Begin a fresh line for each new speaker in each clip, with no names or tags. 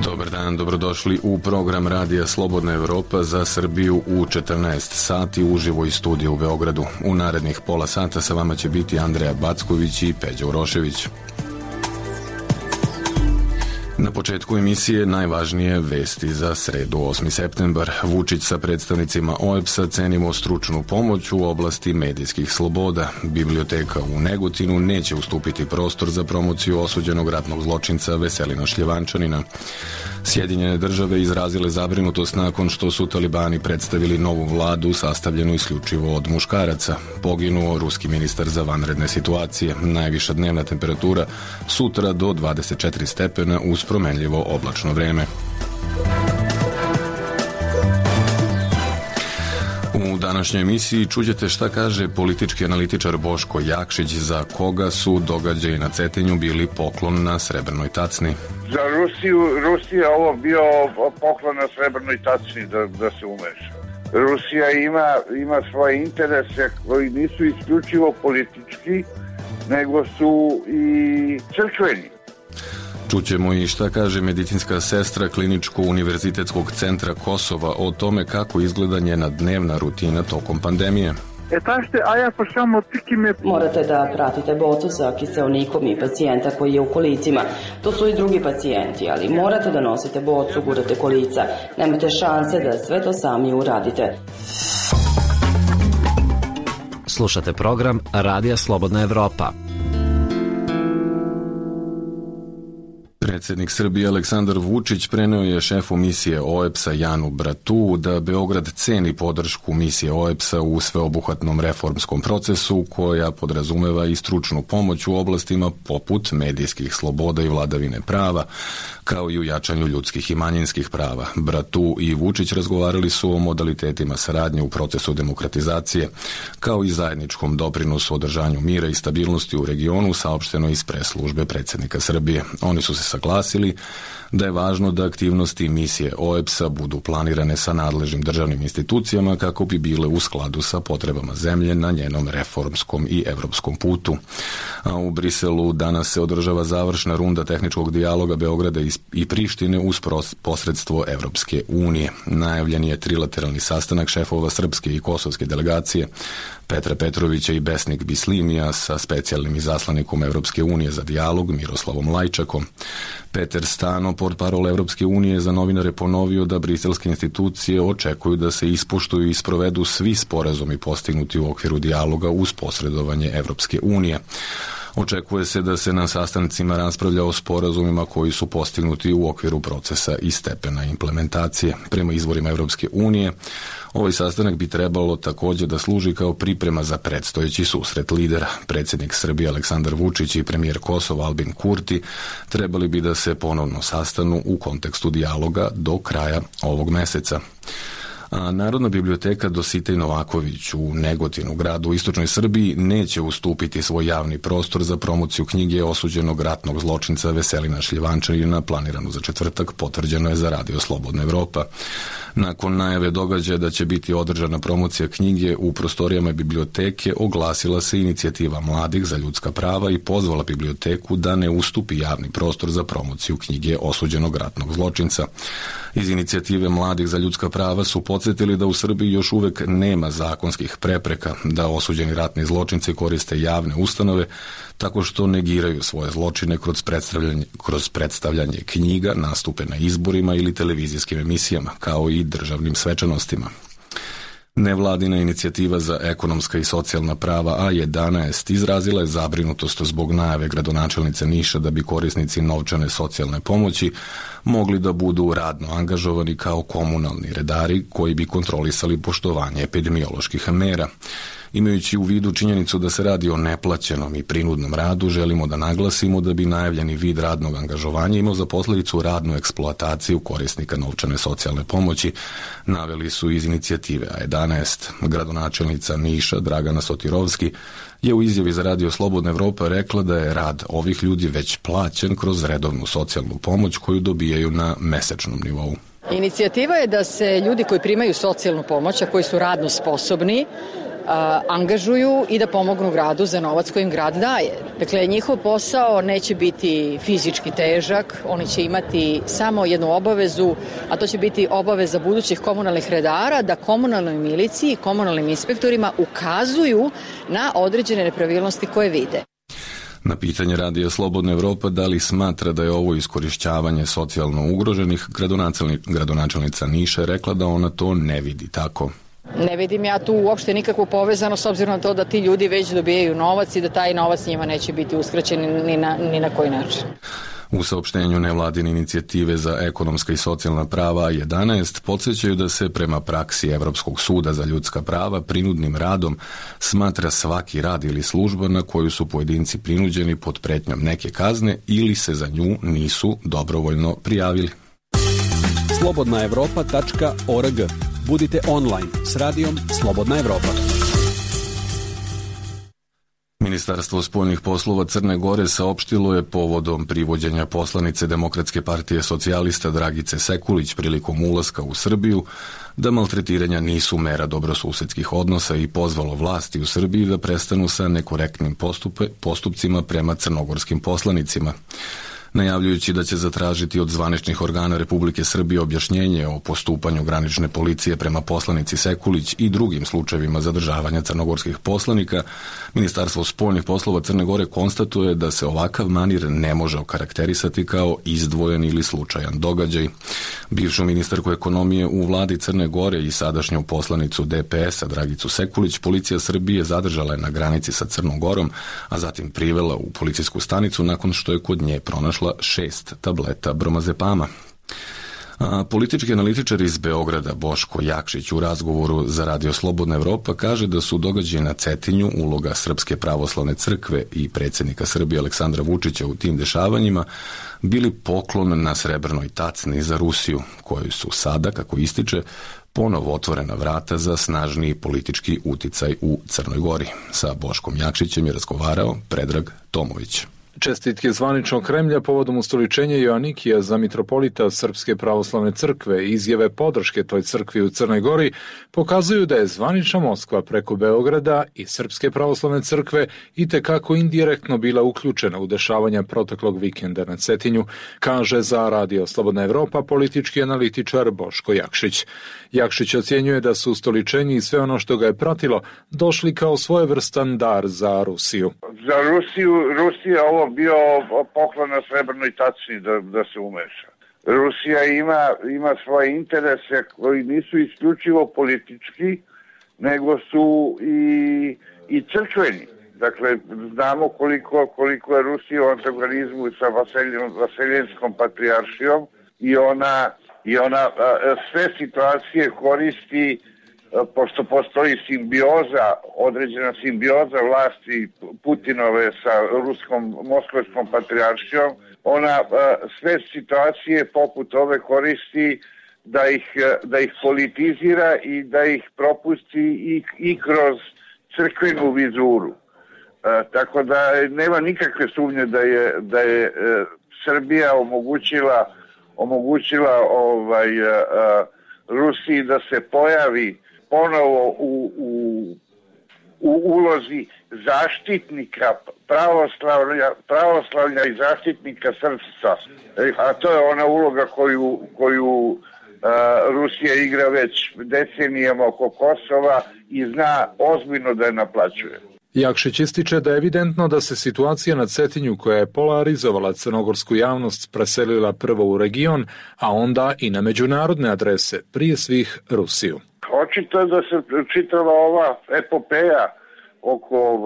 Dobar dan, dobrodošli u program Radija Slobodna Evropa za Srbiju u 14 sati uživo iz studija u Beogradu. U narednih pola sata sa vama će biti Andreja Backović i Peđa Urošević. Na početku emisije najvažnije vesti za sredu 8. septembar. Vučić sa predstavnicima OEBS-a cenimo stručnu pomoć u oblasti medijskih sloboda. Biblioteka u Negotinu neće ustupiti prostor za promociju osuđenog ratnog zločinca Veselina Šljivančanina. Sjedinjene države izrazile zabrinutost nakon što su talibani predstavili novu vladu sastavljenu isključivo od muškaraca. Poginuo ruski ministar za vanredne situacije. Najviša dnevna temperatura sutra do 24 stepena uz promenljivo oblačno vreme. U današnjoj emisiji čućete šta kaže politički analitičar Boško Jakšić, za koga su događaji na Cetinju bili poklon na srebrnoj tacni.
Za Rusija ovo bio poklon na srebrnoj tacni da se umeša. Rusija ima svoje interese koji nisu isključivo politički, nego su i crkveni.
Čućemo i šta kaže medicinska sestra Kliničko-univerzitetskog centra Kosova o tome kako izgleda njena dnevna rutina tokom pandemije.
Morate da pratite bocu sa kiseonikom i pacijenta koji je u kolicima. To su i drugi pacijenti, ali morate da nosite bocu, gurate kolica. Nemate šanse da sve to sami uradite.
Slušate program Radija Slobodna Evropa.
Predsjednik Srbije Aleksandar Vučić preneo je šefu misije OEBS-a Janu Bratu da Beograd ceni podršku misije OEBS-a u sveobuhvatnom reformskom procesu koja podrazumeva i stručnu pomoć u oblastima poput medijskih sloboda i vladavine prava, kao i u jačanju ljudskih i manjinskih prava. Bratu i Vučić razgovarali su o modalitetima saradnje u procesu demokratizacije, kao i zajedničkom doprinosu održanju mira i stabilnosti u regionu, saopšteno iz pres službe predsjednika Srbije. Oni su se saglasili da je važno da aktivnosti misije OEBS-a budu planirane sa nadležnim državnim institucijama kako bi bile u skladu sa potrebama zemlje na njenom reformskom i evropskom putu. A u Briselu danas se održava završna runda tehničkog dijaloga Beograda i Prištine uz posredstvo Evropske unije. Najavljen je trilateralni sastanak šefova srpske i kosovske delegacije Petra Petrovića i Besnik Bislimija sa specijalnim izaslanikom Evropske unije za dijalog Miroslavom Lajčakom. Peter Stano, portparol Evropske unije, za novinare ponovio da briselske institucije očekuju da se ispoštuju i sprovedu svi sporazumi postignuti u okviru dijaloga uz posredovanje Evropske unije. Očekuje se da se na sastancima raspravlja o sporazumima koji su postignuti u okviru procesa i stepena implementacije. Prema izvorima Evropske unije, ovaj sastanak bi trebalo također da služi kao priprema za predstojeći susret lidera. Predsjednik Srbije Aleksandar Vučić i premijer Kosova Albin Kurti trebali bi da se ponovno sastanu u kontekstu dijaloga do kraja ovog meseca. A Narodna biblioteka Dositej Novaković u Negotinu, gradu u istočnoj Srbiji, neće ustupiti svoj javni prostor za promociju knjige osuđenog ratnog zločinca Veselina Šljivančanina planiranu za četvrtak, potvrđeno je za Radio Slobodna Evropa. Nakon najave događaja da će biti održana promocija knjige u prostorijama biblioteke, oglasila se inicijativa mladih za ljudska prava i pozvala biblioteku da ne ustupi javni prostor za promociju knjige osuđenog ratnog zločinca. Iz inicijative mladih za ljudska prava su podsjetili da u Srbiji još uvek nema zakonskih prepreka da osuđeni ratni zločinci koriste javne ustanove tako što negiraju svoje zločine kroz predstavljanje knjiga, nastupe na izborima ili televizijskim emisijama, kao i državnim svečanostima. Nevladina inicijativa za ekonomska i socijalna prava A11 izrazila je zabrinutost zbog najave gradonačelnice Niša da bi korisnici novčane socijalne pomoći mogli da budu radno angažovani kao komunalni redari koji bi kontrolisali poštovanje epidemioloških mera. Imajući u vidu činjenicu da se radi o neplaćenom i prinudnom radu, želimo da naglasimo da bi najavljeni vid radnog angažovanja imao za posljedicu radnu eksploataciju korisnika novčane socijalne pomoći, naveli su iz inicijative A11. Gradonačelnica Niša Dragana Sotirovski je u izjavi za Radio Slobodna Evropa rekla da je rad ovih ljudi već plaćen kroz redovnu socijalnu pomoć koju dobijaju na mesečnom nivou.
Inicijativa je da se ljudi koji primaju socijalnu pomoć, a koji su radno sposobni, angažuju i da pomognu gradu za novac koji im grad daje. Dakle, njihov posao neće biti fizički težak, oni će imati samo jednu obavezu, a to će biti obaveza budućih komunalnih redara da komunalnoj miliciji i komunalnim inspektorima ukazuju na određene nepravilnosti koje vide.
Na pitanje Radija Slobodna Evropa da li smatra da je ovo iskorišćavanje socijalno ugroženih, gradonačelnica Niša je rekla da ona to ne vidi tako.
Ne vidim ja tu uopšte nikakvu povezanost s obzirom na to da ti ljudi već dobijaju novac i da taj novac njima neće biti uskraćen ni na koji način.
U saopštenju nevladine inicijative za ekonomska i socijalna prava 11 podsjećaju da se prema praksi Evropskog suda za ljudska prava prinudnim radom smatra svaki rad ili služba na koju su pojedinci prinuđeni pod pretnjom neke kazne ili se za nju nisu dobrovoljno prijavili.
slobodnaevropa.org. Budite online s radijom Slobodna Evropa.
Ministarstvo spoljnih poslova Crne Gore saopštilo je povodom privođenja poslanice Demokratske partije socijalista Dragice Sekulić prilikom ulaska u Srbiju da maltretiranja nisu mera dobrosusedskih odnosa i pozvalo vlasti u Srbiji da prestanu sa nekorektnim postupcima prema crnogorskim poslanicima. Najavljujući da će zatražiti od zvaničnih organa Republike Srbije objašnjenje o postupanju granične policije prema poslanici Sekulić i drugim slučajevima zadržavanja crnogorskih poslanika, Ministarstvo spoljnih poslova Crne Gore konstatuje da se ovakav manir ne može okarakterisati kao izdvojen ili slučajan događaj. Bivšu ministarku ekonomije u vladi Crne Gore i sadašnju poslanicu DPS-a Dragicu Sekulić policija Srbije zadržala je na granici sa Crnom Gorom, a zatim privela u policijsku stanicu nakon što je kod nje pronašla 6 tableta bromazepama. Politički analitičar iz Beograda Boško Jakšić u razgovoru za Radio Slobodna Evropa kaže da su događaji na Cetinju, uloga Srpske pravoslavne crkve i predsjednika Srbije Aleksandra Vučića u tim dešavanjima bili poklon na srebrnoj tacni za Rusiju, koju su sada, kako ističe, ponovo otvorena vrata za snažniji politički uticaj u Crnoj Gori. Sa Boškom Jakšićem je razgovarao Predrag Tomović.
Čestitke zvaničnog Kremlja povodom ustoličenja Joanikija za mitropolita Srpske pravoslavne crkve i izjave podrške toj crkvi u Crnoj Gori pokazuju da je zvanična Moskva preko Beograda i Srpske pravoslavne crkve itekako indirektno bila uključena u dešavanja proteklog vikenda na Cetinju, kaže za Radio Slobodna Evropa politički analitičar Boško Jakšić. Jakšić ocjenjuje da su ustoličenje i sve ono što ga je pratilo došli kao svojevrstan dar za Rusiju.
Za Rusija ovo bio poklon na srebrnoj tacni da se umeša. Rusija ima svoje interese koji nisu isključivo politički, nego su i crkveni. Dakle, znamo koliko je Rusija u antagonizmu sa Vaseljenskom patrijaršijom i ona sve situacije koristi, pošto postoji određena simbioza vlasti Putinove sa Moskovskom patrijaršijom, ona sve situacije poput ove koristi da ih politizira i da ih propusti i kroz crkvenu vizuru. Tako da nema nikakve sumnje da je Srbija omogućila Rusiji da se pojavi ponovo u ulozi zaštitnika pravoslavlja i zaštitnika srpstva. A to je ona uloga koju Rusija igra već decenijama oko Kosova i zna ozbiljno da je naplaćuje.
Jakšić ističe da je evidentno da se situacija na Cetinju koja je polarizovala crnogorsku javnost preselila prvo u region, a onda i na međunarodne adrese, prije svih Rusiju.
Očito je da se čitava ova epopeja oko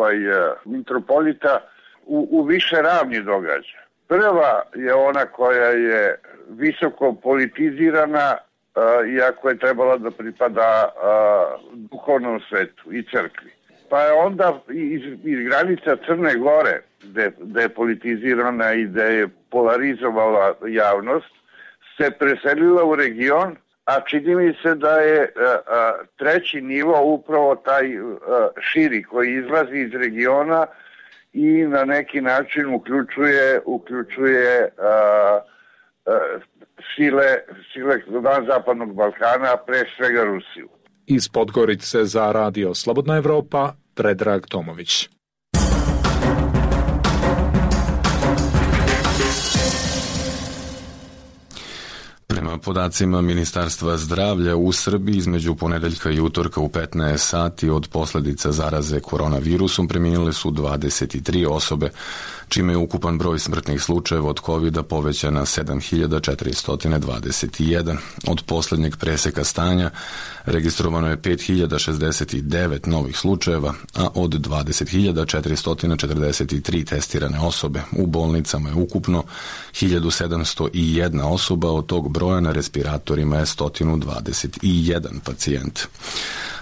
mitropolita u više ravni događa. Prva je ona koja je visoko politizirana, iako je trebala da pripada duhovnom svetu i crkvi. Pa je onda iz granica Crne Gore, gde je politizirana i gde je polarizovala javnost, se preselila u region, a čini mi se da je treći nivo upravo taj širi koji izlazi iz regiona i na neki način uključuje sile van Zapadnog Balkana, pre svega Rusiju.
Iz Podgorice za Radio Slobodna Evropa, Predrag Tomović.
Prema podacima Ministarstva zdravlja u Srbiji između ponedeljka i utorka u 15 sati od posljedica zaraze koronavirusom preminule su 23 osobe, čime je ukupan broj smrtnih slučajeva od COVID-a povećan na 7421. Od posljednjeg preseka stanja registrovano je 5069 novih slučajeva, a od 20.443 testirane osobe. U bolnicama je ukupno 1701 osoba, od tog broja na respiratorima je 121 pacijent.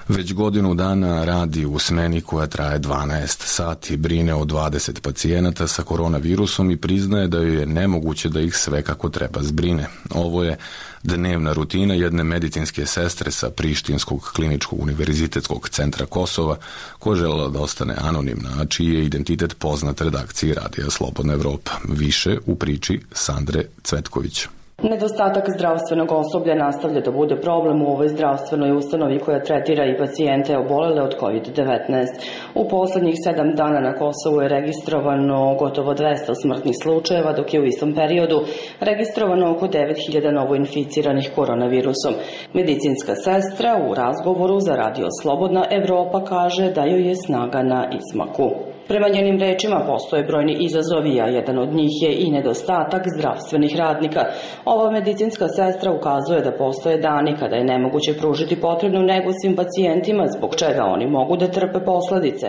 Već godinu dana radi u smeni koja traje 12 sati, brine o 20 pacijenata sa koronavirusom i priznaje da joj je nemoguće da ih sve kako treba zbrine. Ovo je dnevna rutina jedne medicinske sestre sa Prištinskog kliničkog univerzitetskog centra Kosova, koja želela da ostane anonimna, a čiji je identitet poznat redakciji Radija Slobodna Evropa. Više u priči Sandre Cvetković.
Nedostatak zdravstvenog osoblja nastavlja da bude problem u ovoj zdravstvenoj ustanovi koja tretira i pacijente obolele od COVID-19. U poslednjih 7 dana na Kosovu je registrovano gotovo 200 smrtnih slučajeva, dok je u istom periodu registrovano oko 9000 novoinficiranih koronavirusom. Medicinska sestra u razgovoru za Radio Slobodna Evropa kaže da joj je snaga na izmaku. Prema njenim rečima postoje brojni izazovi, a jedan od njih je i nedostatak zdravstvenih radnika. Ova medicinska sestra ukazuje da postoje dani kada je nemoguće pružiti potrebnu negu svim pacijentima, zbog čega oni mogu da trpe posledice.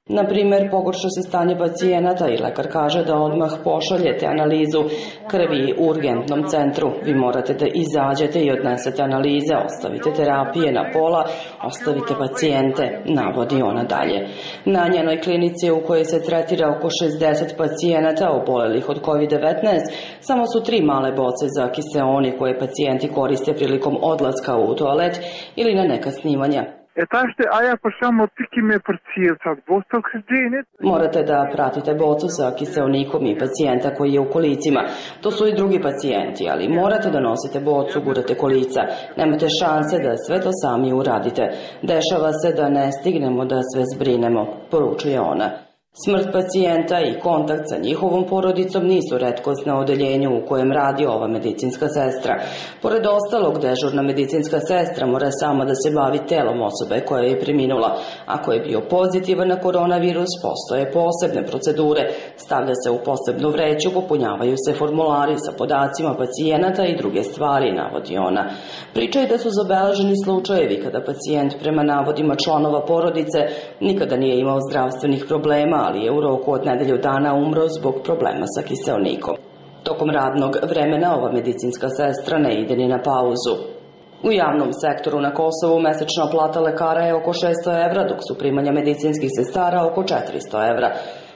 Na primer, pogorša se stanje pacijenata i lekar kaže da odmah pošaljete analizu krvi urgentnom centru. Vi morate da izađete i odnesete analize, ostavite terapije na pola, ostavite pacijente, navodi ona dalje. Na njenoj klinici u kojoj se tretira oko 60 pacijenata obolelih od COVID-19, samo su 3 male boce za kiseoni koje pacijenti koriste prilikom odlaska u toalet ili na neka snimanja. Morate da pratite bocu sa kiseonikom i pacijenta koji je u kolicima. To su i drugi pacijenti, ali morate da nosite bocu, gurate kolica. Nemate šanse da sve to sami uradite. Dešava se da ne stignemo da sve zbrinemo, poručuje ona. Smrt pacijenta i kontakt sa njihovom porodicom nisu retkost na odeljenju u kojem radi ova medicinska sestra. Pored ostalog, dežurna medicinska sestra mora sama da se bavi telom osobe koja je preminula. Ako je bio pozitivan na koronavirus, postoje posebne procedure. Stavlja se u posebnu vreću, popunjavaju se formulari sa podacima pacijenata i druge stvari, navodi ona. Priča je da su zabeleženi slučajevi kada pacijent prema navodima članova porodice nikada nije imao zdravstvenih problema, ali je u roku od nedelju dana umro zbog problema sa kiseonikom. Tokom radnog vremena ova medicinska sestra ne ide ni na pauzu. U javnom sektoru na Kosovu mesečna plata lekara je oko 600 evra, dok su primanja medicinskih sestara oko 400 evra.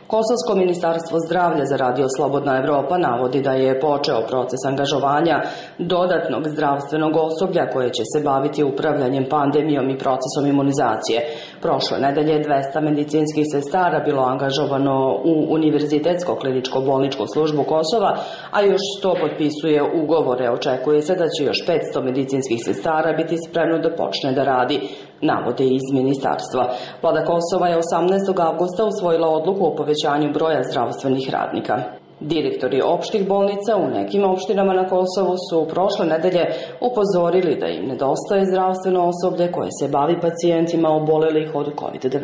Kosovsko ministarstvo zdravlja za Radio Slobodna Evropa navodi da je počeo proces angažovanja dodatnog zdravstvenog osoblja koje će se baviti upravljanjem pandemijom i procesom imunizacije. Prošle nedelje 200 medicinskih sestara bilo angažovano u Univerzitetsko kliničko-bolničku službu Kosova, a još 100 potpisuje ugovore. Očekuje se da će još 500 medicinskih sestara biti spremno da počne da radi, navode iz ministarstva. Vlada Kosova je 18. avgusta usvojila odluku o povećanju broja zdravstvenih radnika. Direktori opštih bolnica u nekim opštinama na Kosovu su prošle nedelje upozorili da im nedostaje zdravstveno osoblje koje se bavi pacijentima obolelih od COVID-19.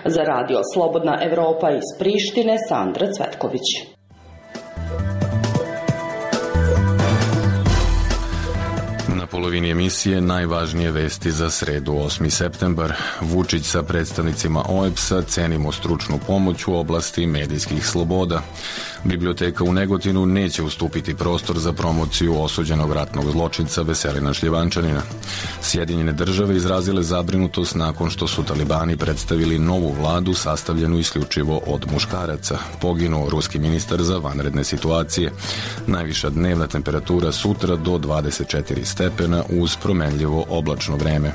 Za Radio Slobodna Evropa iz Prištine, Sandra Cvetković.
Na polovini emisije najvažnije vesti za sredu 8. septembar. Vučić sa predstavnicima OEBS-a, cenimo stručnu pomoć u oblasti medijskih sloboda. Biblioteka u Negotinu neće ustupiti prostor za promociju osuđenog ratnog zločinca Veselina Šljivančanina. Sjedinjene države izrazile zabrinutost nakon što su talibani predstavili novu vladu sastavljenu isključivo od muškaraca. Poginuo ruski ministar za vanredne situacije. Najviša dnevna temperatura sutra do 24 stepena uz promenljivo oblačno vreme.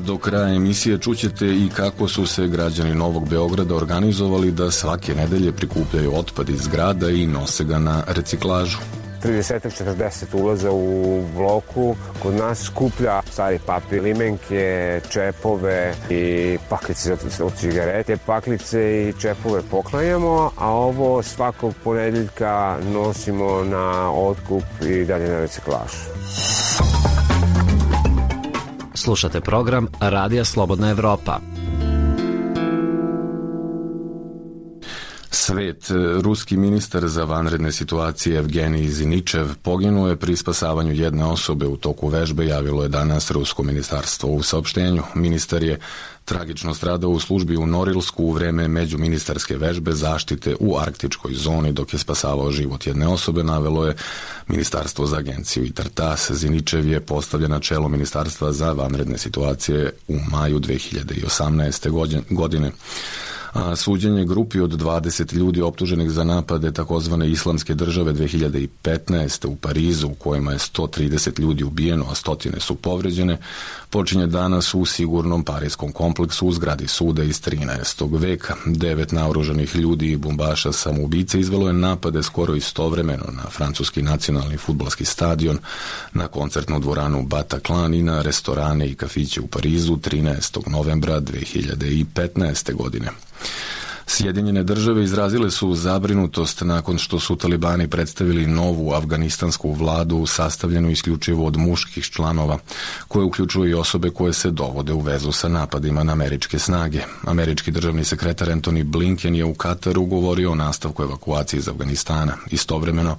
A do kraja emisije čućete i kako su se građani Novog Beograda organizovali da svake nedelje prikupljaju otpad iz grada i nose ga na reciklažu.
30-40 ulaza u bloku kod nas skuplja stari papir, limenke, čepove i paklice od cigarete. Paklice i čepove poklanjamo, a ovo svakog ponedeljka nosimo na otkup i dalje na reciklažu.
Slušate program Radija Slobodna Evropa.
Svet. Ruski ministar za vanredne situacije Evgenij Ziničev poginuo je pri spasavanju jedne osobe u toku vežbe, javilo je danas Rusko ministarstvo u saopštenju. Ministar je tragično stradao u službi u Norilsku u vreme međuministarske vežbe zaštite u arktičkoj zoni dok je spasavao život jedne osobe, navelo je Ministarstvo za agenciju i TARTAS. Ziničev je postavljen na čelo Ministarstva za vanredne situacije u maju 2018. godine. A suđenje grupi od 20 ljudi optuženih za napade takozvane islamske države 2015. u Parizu, u kojima je 130 ljudi ubijeno, a stotine su povređene, počinje danas u sigurnom parijskom kompleksu u zgradi suda iz 13. veka. 9 naoružanih ljudi i bombaša samoubice izvelo je napade skoro istovremeno na francuski nacionalni fudbalski stadion, na koncertnu dvoranu Bataclan i na restorane i kafiće u Parizu 13. novembra 2015. godine. Sjedinjene države izrazile su zabrinutost nakon što su talibani predstavili novu afganistansku vladu sastavljenu isključivo od muških članova, koje uključuju i osobe koje se dovode u vezu sa napadima na američke snage. Američki državni sekretar Antony Blinken je u Kataru govorio o nastavku evakuacije iz Afganistana. Istovremeno,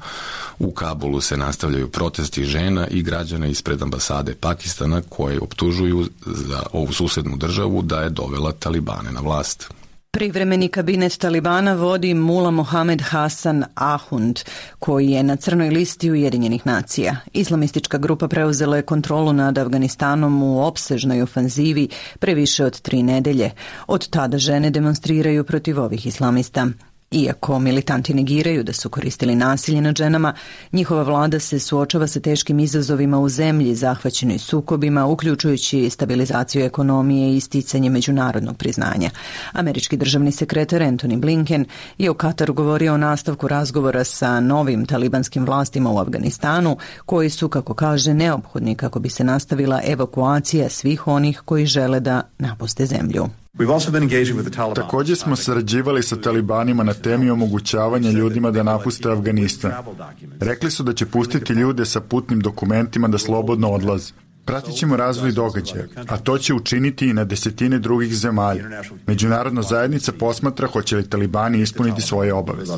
u Kabulu se nastavljaju protesti žena i građana ispred ambasade Pakistana koje optužuju za ovu susednu državu da je dovela talibane na vlast.
Privremeni kabinet Talibana vodi Mula Mohamed Hasan Ahund, koji je na crnoj listi Ujedinjenih nacija. Islamistička grupa preuzela je kontrolu nad Afganistanom u opsežnoj ofanzivi pre više od 3 nedelje. Od tada žene demonstriraju protiv ovih islamista. Iako militanti negiraju da su koristili nasilje nad ženama, njihova vlada se suočava sa teškim izazovima u zemlji zahvaćenoj sukobima, uključujući stabilizaciju ekonomije i isticanje međunarodnog priznanja. Američki državni sekretar Antony Blinken je u Kataru govorio o nastavku razgovora sa novim talibanskim vlastima u Afganistanu, koji su, kako kaže, neophodni kako bi se nastavila evakuacija svih onih koji žele da napuste zemlju.
Također smo sarađivali sa talibanima na temi omogućavanja ljudima da napuste Afganistan. Rekli su da će pustiti ljude sa putnim dokumentima da slobodno odlaze. Pratit ćemo razvoj događaja, a to će učiniti i na desetine drugih zemalja. Međunarodna zajednica posmatra hoće li talibani ispuniti svoje obaveze.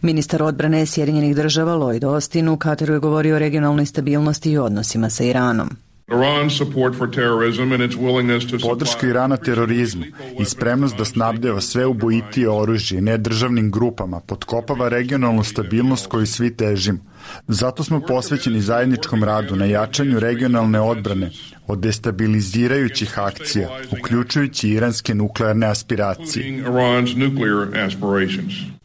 Ministar odbrane Sjedinjenih država Lloyd Austin u Kataru je govorio o regionalnoj stabilnosti i odnosima sa Iranom.
Podrška Irana terorizmu i spremnost da snabdeva sve ubojitije oružje nedržavnim grupama potkopava regionalnu stabilnost koju svi težimo. Zato smo posvećeni zajedničkom radu na jačanju regionalne odbrane od destabilizirajućih akcija, uključujući iranske nuklearne aspiracije.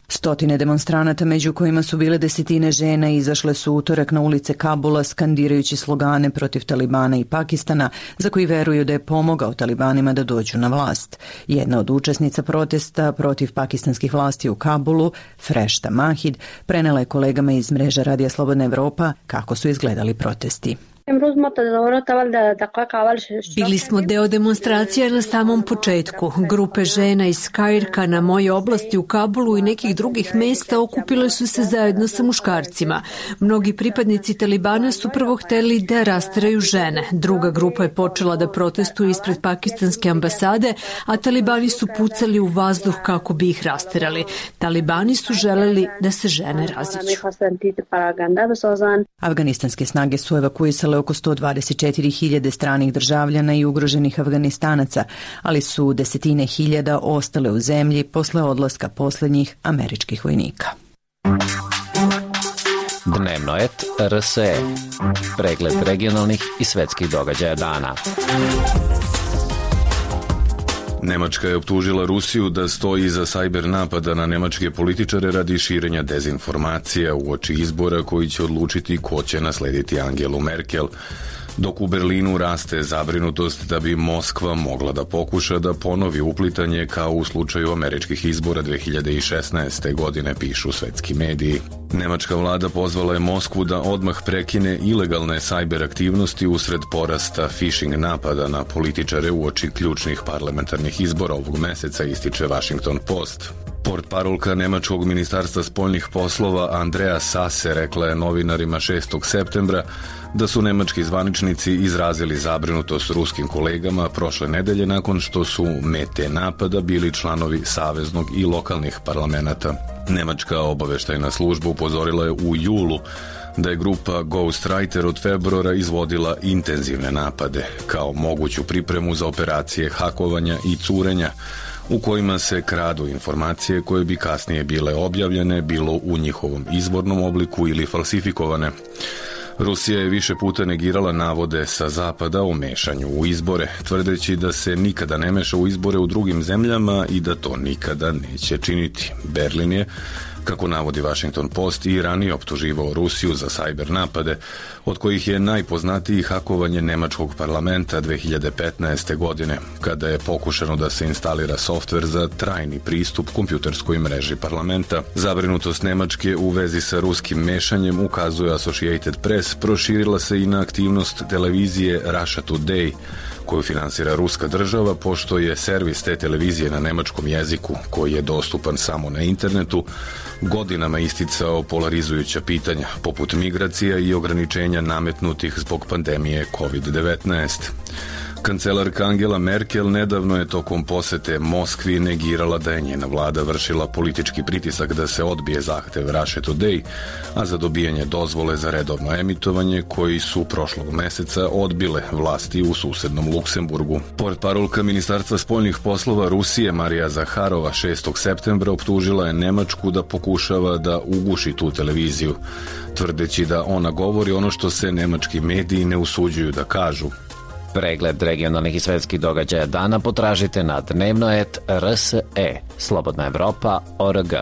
Stotine demonstranata, među kojima su bile desetine žena, izašle su utorak na ulice Kabula skandirajući slogane protiv Talibana i Pakistana, za koji veruju da je pomogao Talibanima da dođu na vlast. Jedna od učesnica protesta protiv pakistanskih vlasti u Kabulu, Freshta Mahid, prenela je kolegama iz mreža Radija Slobodna Evropa kako su izgledali protesti.
Bili smo deo demonstracija na samom početku. Grupe žena iz Kairka na moje oblasti u Kabulu i nekih drugih mesta okupile su se zajedno sa muškarcima. Mnogi pripadnici Talibana su prvo hteli da rasteraju žene. Druga grupa je počela da protestuje ispred pakistanske ambasade, a Talibani su pucali u vazduh kako bi ih rasterali. Talibani su želeli da se žene raziđu.
Afganistanske snage su evakuisale oko 124.000 stranih državljana i ugroženih Afganistanaca, ali su desetine hiljada ostale u zemlji posle odlaska poslednjih američkih vojnika.
Dnevno et RSE. Pregled regionalnih i svetskih događaja dana.
Nemačka je optužila Rusiju da stoji iza sajber napada na nemačke političare radi širenja dezinformacija uoči izbora koji će odlučiti ko će naslediti Angelu Merkel. Dok u Berlinu raste zabrinutost da bi Moskva mogla da pokuša da ponovi uplitanje kao u slučaju američkih izbora 2016. godine, pišu svetski mediji. Nemačka vlada pozvala je Moskvu da odmah prekine ilegalne sajber aktivnosti usred porasta phishing napada na političare uoči ključnih parlamentarnih izbora ovog meseca, ističe Washington Post. Portparolka Nemačkog ministarstva spoljnih poslova Andrea Sasse rekla je novinarima 6. septembra da su nemački zvaničnici izrazili zabrinutost ruskim kolegama prošle nedelje nakon što su mete napada bili članovi saveznog i lokalnih parlamenata. Nemačka obaveštajna služba upozorila je u julu da je grupa Ghostwriter od februara izvodila intenzivne napade kao moguću pripremu za operacije hakovanja i curenja u kojima se kradu informacije koje bi kasnije bile objavljene, bilo u njihovom izvornom obliku ili falsifikovane. Rusija je više puta negirala navode sa zapada o mešanju u izbore, tvrdeći da se nikada ne meša u izbore u drugim zemljama i da to nikada neće činiti. Berlin je, kako navodi Washington Post, i ranije optuživao Rusiju za sajber napade, od kojih je najpoznatiji hakovanje nemačkog parlamenta 2015. godine, kada je pokušano da se instalira softver za trajni pristup kompjuterskoj mreži parlamenta. Zabrinutost Nemačke u vezi sa ruskim mešanjem, ukazuje Associated Press, proširila se i na aktivnost televizije Russia Today, koju finansira ruska država, pošto je servis te televizije na nemačkom jeziku, koji je dostupan samo na internetu, godinama isticao polarizujuća pitanja, poput migracija i ograničenja nametnutih zbog pandemije COVID-19. Kancelarka Angela Merkel nedavno je tokom posete Moskvi negirala da je njena vlada vršila politički pritisak da se odbije zahtev Russia Today, a za dobijanje dozvole za redovno emitovanje koji su prošlog meseca odbile vlasti u susednom Luksemburgu. Portparolka Ministarstva spoljnih poslova Rusije Marija Zaharova 6. septembra optužila je Nemačku da pokušava da uguši tu televiziju, tvrdeći da ona govori ono što se nemački mediji ne usuđuju da kažu.
Pregled regionalnih i svetskih događaja dana potražite na dnevno.rs.e, Slobodna Evropa.org.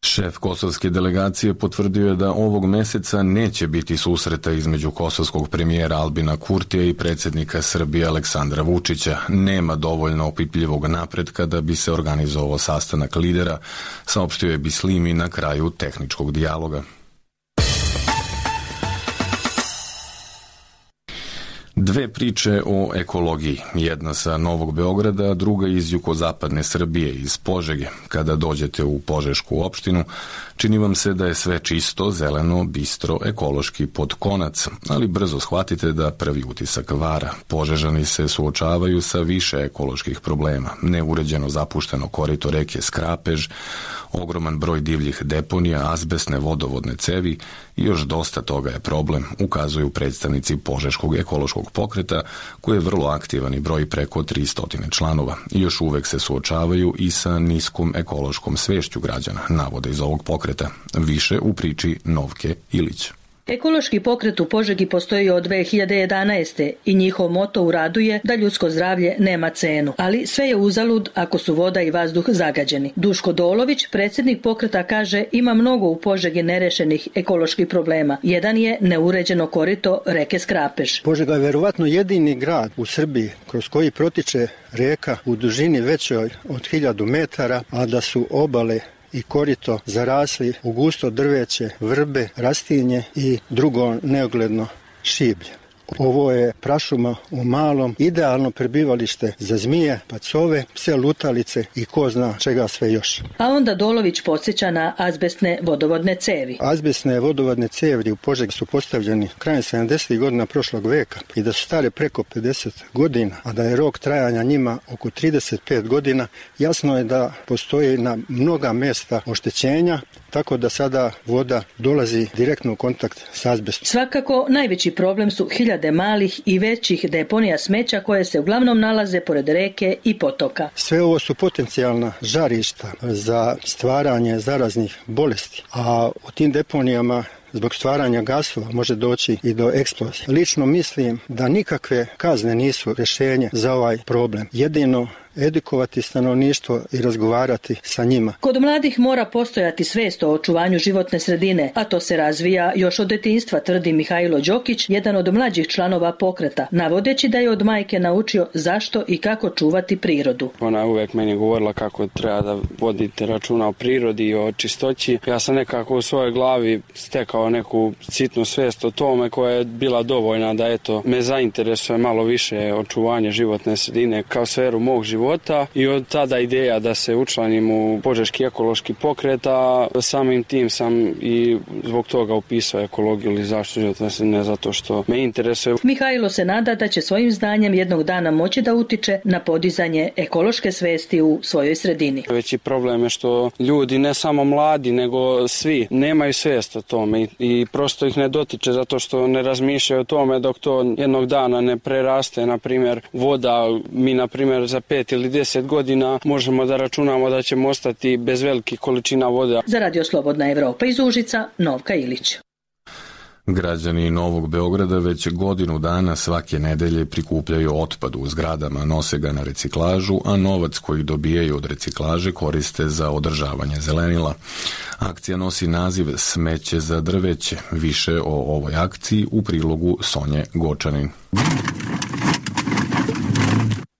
Šef kosovske delegacije potvrdio je da ovog meseca neće biti susreta između kosovskog premijera Albina Kurtija i predsjednika Srbije Aleksandra Vučića. Nema dovoljno opipljivog napretka da bi se organizovao sastanak lidera, saopštio je Bislimi na kraju tehničkog dijaloga. Dve priče o ekologiji, jedna sa Novog Beograda, a druga iz jugozapadne Srbije, iz Požege. Kada dođete u Požešku opštinu, čini vam se da je sve čisto, zeleno, bistro, ekološki pod konac, ali brzo shvatite da prvi utisak vara. Požežani se suočavaju sa više ekoloških problema. Neuređeno zapušteno korito reke Skrapež, ogroman broj divljih deponija, azbestne vodovodne cevi i još dosta toga je problem, ukazuju predstavnici Požeškog ekološkog pokreta, koji je vrlo aktivan i broji preko 300 članova. I još uvek se suočavaju i sa niskom ekološkom svešću građana, navode iz ovog pokreta. Više u priči Novke Ilić.
Ekološki pokret u Požegi postoji od 2011. i njihov moto u radu je da ljudsko zdravlje nema cenu, ali sve je uzalud ako su voda i vazduh zagađeni. Duško Dolović, predsjednik pokreta, kaže ima mnogo u Požegi nerešenih ekoloških problema. Jedan je neuređeno korito reke Skrapež.
Požega je verovatno jedini grad u Srbiji kroz koji protiče reka u dužini većoj od 1000 metara, a da su obale i korito zarasli u gusto drveće, vrbe, rastinje i drugo neogledno šiblje. Ovo je prašuma u malom, idealno prebivalište za zmije, pacove, pse lutalice i ko zna čega sve još.
A onda Dolović podsjeća na azbestne vodovodne cevi.
Azbestne vodovodne cevi u Požegi su postavljeni krajem 70. godina prošlog veka i da su stare preko 50 godina, a da je rok trajanja njima oko 35 godina, jasno je da postoji na mnoga mesta oštećenja, tako da sada voda dolazi direktno u kontakt s azbestom.
Svakako, najveći problem su hiljade malih i većih deponija smeća koje se uglavnom nalaze pored reke i potoka.
Sve ovo su potencijalna žarišta za stvaranje zaraznih bolesti, a u tim deponijama zbog stvaranja gasova može doći i do eksplozije. Lično mislim da nikakve kazne nisu rješenje za ovaj problem. Jedino edukovati stanovništvo i razgovarati sa njima.
Kod mladih mora postojati svest o očuvanju životne sredine, a to se razvija još od detinjstva, tvrdi Mihajlo Đokić, jedan od mlađih članova pokreta, navodeći da je od majke naučio zašto i kako čuvati prirodu.
Ona je uvek meni govorila kako treba da vodite računa o prirodi i o čistoći. Ja sam nekako u svojoj glavi stekao neku sitnu svest o tome koja je bila dovoljna da me zainteresuje malo više očuvanje životne sredine kao sferu mog života i od tada ideja da se učlanim u Požeški ekološki pokret, a samim tim sam i zbog toga upisao ekologiju ili zaštitu životne sredine zato što me interesuje.
Mihajlo se nada da će svojim znanjem jednog dana moći da utiče na podizanje ekološke svesti u svojoj sredini.
Veći problem je što ljudi, ne samo mladi, nego svi, nemaju svest o tome i prosto ih ne dotiče zato što ne razmišljaju o tome dok to jednog dana ne preraste, na primjer voda. Mi, na primjer, za 5 ili 10 godina možemo da računamo da ćemo ostati bez velikih količina vode.
Za Radio Slobodna Evropa iz Užica, Novka Ilić.
Građani Novog Beograda već godinu dana svake nedelje prikupljaju otpad u zgradama, nose ga na reciklažu, a novac koji dobijaju od reciklaže koriste za održavanje zelenila. Akcija nosi naziv Smeće za drveće. Više o ovoj akciji u prilogu Sonje Gočanin.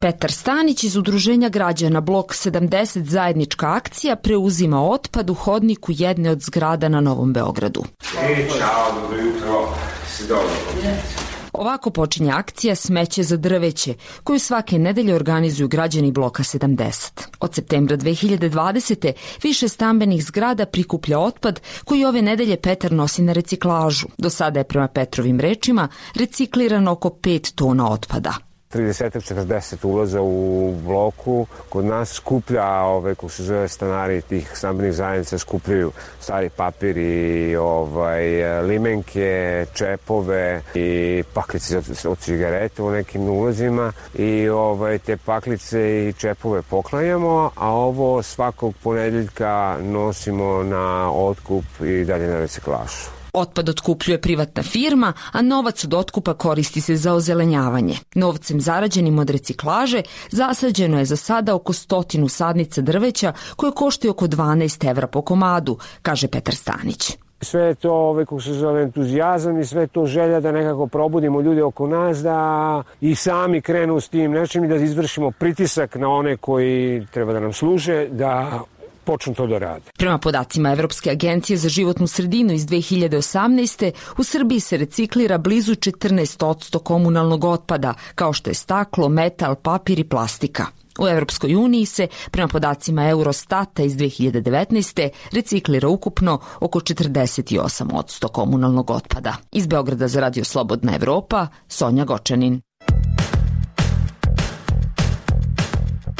Petar Stanić iz Udruženja građana Blok 70 zajednička akcija preuzima otpad u hodniku jedne od zgrada na Novom Beogradu.
Ćao, dobro jutro. Si dobro?
Ovako počinje akcija Smeće za drveće, koju svake nedelje organizuju građani Bloka 70. Od septembra 2020. više stambenih zgrada prikuplja otpad koji ove nedelje Petar nosi na reciklažu. Do sada je, prema Petrovim rečima, reciklirano oko 5 tona otpada.
30-40 ulaza u bloku. Kod nas skuplja, kako se zove, stanari tih stambenih zajednica skupljaju stari papir i limenke, čepove i paklice od cigarete u nekim ulazima i te paklice i čepove poklanjamo, a ovo svakog ponedeljka nosimo na otkup i dalje na reciklažu.
Otpad otkupljuje privatna firma, a novac od otkupa koristi se za ozelenjavanje. Novcem zarađenim od reciklaže zasađeno je za sada oko 100 sadnica drveća koje koštaju oko 12 evra po komadu, kaže Petar Stanić.
Sve je to, kako se zove, entuzijazam i sve je to želja da nekako probudimo ljude oko nas, da i sami krenu s tim nečim i da izvršimo pritisak na one koji treba da nam služe, da počnu to da rade.
Prema podacima Evropske agencije za životnu sredinu iz 2018. u Srbiji se reciklira blizu 14% komunalnog otpada, kao što je staklo, metal, papir i plastika. U Evropskoj uniji se, prema podacima Eurostata iz 2019. reciklira ukupno oko 48% komunalnog otpada. Iz Beograda za Radio Slobodna Evropa, Sonja Gočanin.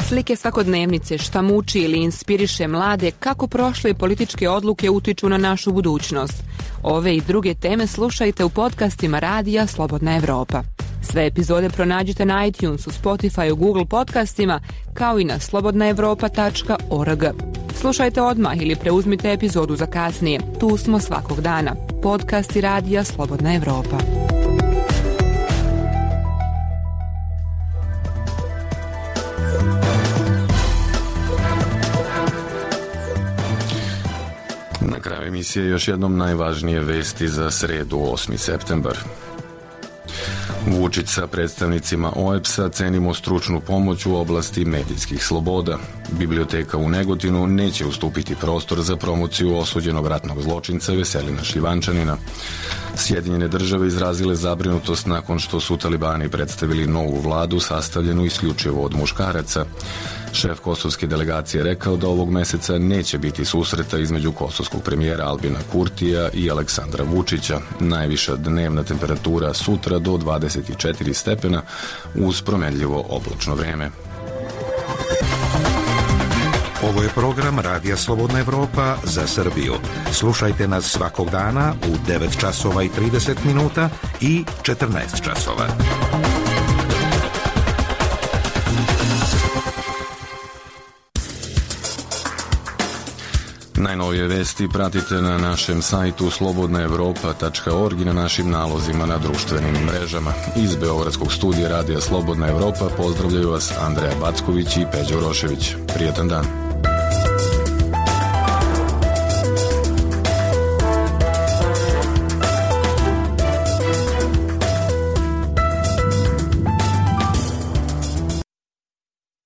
Slike svakodnevnice, šta muči ili inspiriše mlade, kako prošle političke odluke utiču na našu budućnost. Ove i druge teme slušajte u podcastima Radija Slobodna Evropa. Sve epizode pronađite na iTunesu, Spotifyu, Google podcastima, kao i na slobodnaevropa.org. Slušajte odmah ili preuzmite epizodu za kasnije. Tu smo svakog dana. Podcasti Radija Slobodna Evropa.
Na kraju emisije još jednom najvažnije vesti za sredu 8. septembar. Vučić sa predstavnicima OEBS-a cenimo stručnu pomoć u oblasti medijskih sloboda. Biblioteka u Negotinu neće ustupiti prostor za promociju osuđenog ratnog zločinca Veselina Šljivančanina. Sjedinjene države izrazile zabrinutost nakon što su talibani predstavili novu vladu sastavljenu isključivo od muškaraca. Šef kosovske delegacije rekao da ovog meseca neće biti susreta između kosovskog premijera Albina Kurtija i Aleksandra Vučića. Najviša dnevna temperatura sutra do 24 stepena uz promenljivo oblačno vreme.
Ovo je program Radija Slobodna Evropa za Srbiju. Slušajte nas svakog dana u 9 časova i 30 minuta i 14 časova.
Najnovije vesti pratite na našem sajtu slobodnaevropa.org i na našim nalozima na društvenim mrežama. Iz Beogradskog studija Radija Slobodna Evropa pozdravljaju vas Andreja Backović i Peđa Urošević. Prijetan dan.